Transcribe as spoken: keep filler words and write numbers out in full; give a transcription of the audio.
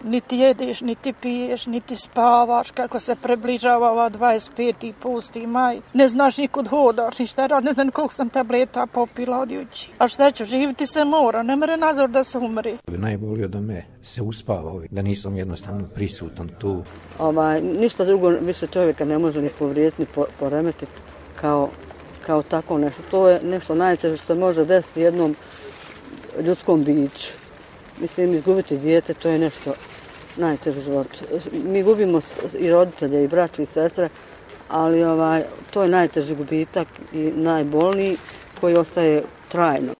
Niti jedeš, niti piješ, niti spavaš, kako se približava ova dvadeset peti pusti maj. Ne znaš nikud hodaš, ništa rad, ne znam koliko sam tableta popila od juči. A šta ću, živiti se mora, ne mere nazor da se umri. Najbolje da me se uspava, da nisam jednostavno prisutan tu. Ovaj, ništa drugo više čovjeka ne može ni povrijediti, ni poremetiti kao, kao tako nešto. To je nešto najteže što se može desiti jednom ljudskom biću. Mislim, izgubiti dijete, to je nešto najteže u životu. Mi gubimo i roditelje, i braću, i sestre, ali ovaj, to je najteži gubitak i najbolniji koji ostaje trajno.